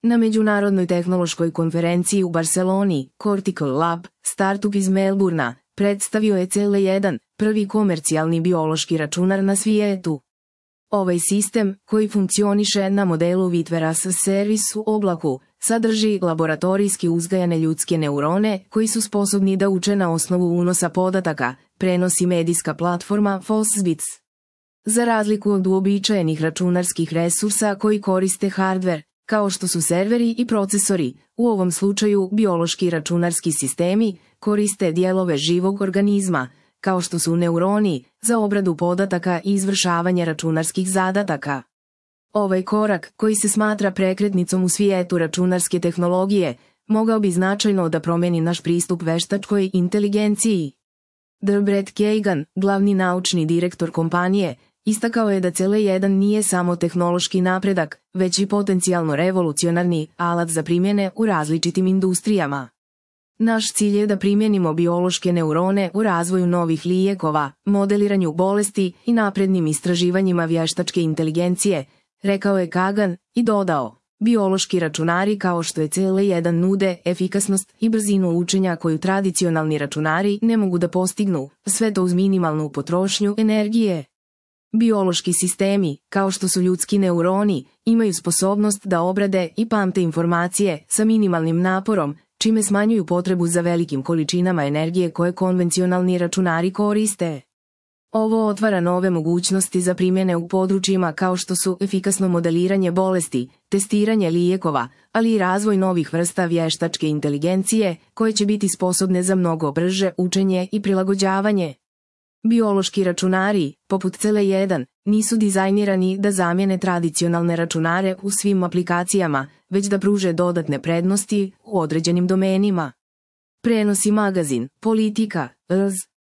Na Međunarodnoj tehnološkoj konferenciji u Barceloni, Cortical Lab, startup iz Melburna, predstavio je CL1, prvi komercijalni biološki računar na svijetu. Ovaj sistem, koji funkcioniše na modelu Vitware as a Service u oblaku, sadrži laboratorijski uzgajane ljudske neurone koji su sposobni da uče na osnovu unosa podataka, prenosi medijska platforma Fosbits. Za razliku od uobičajenih računarskih resursa koji koriste hardware, kao što su serveri i procesori, u ovom slučaju biološki računarski sistemi koriste dijelove živog organizma, kao što su neuroni, za obradu podataka i izvršavanje računarskih zadataka. Ovaj korak, koji se smatra prekretnicom u svijetu računarske tehnologije, mogao bi značajno da promeni naš pristup veštačkoj inteligenciji. Brett Kagan, glavni naučni direktor kompanije, istakao je da CL1 nije samo tehnološki napredak, već i potencijalno revolucionarni alat za primjene u različitim industrijama. Naš cilj je da primjenimo biološke neurone u razvoju novih lijekova, modeliranju bolesti i naprednim istraživanjima vještačke inteligencije, rekao je Kagan i dodao: biološki računari kao što je CL1 nude efikasnost i brzinu učenja koju tradicionalni računari ne mogu da postignu, sve to uz minimalnu potrošnju energije. Biološki sistemi, kao što su ljudski neuroni, imaju sposobnost da obrade i pamte informacije sa minimalnim naporom, čime smanjuju potrebu za velikim količinama energije koje konvencionalni računari koriste. Ovo otvara nove mogućnosti za primjene u područjima kao što su efikasno modeliranje bolesti, testiranje lijekova, ali i razvoj novih vrsta vještačke inteligencije koje će biti sposobne za mnogo brže učenje i prilagođavanje. Biološki računari, poput CL1, nisu dizajnirani da zamijene tradicionalne računare u svim aplikacijama, već da pruže dodatne prednosti u određenim domenima. Prenosi magazin, politika,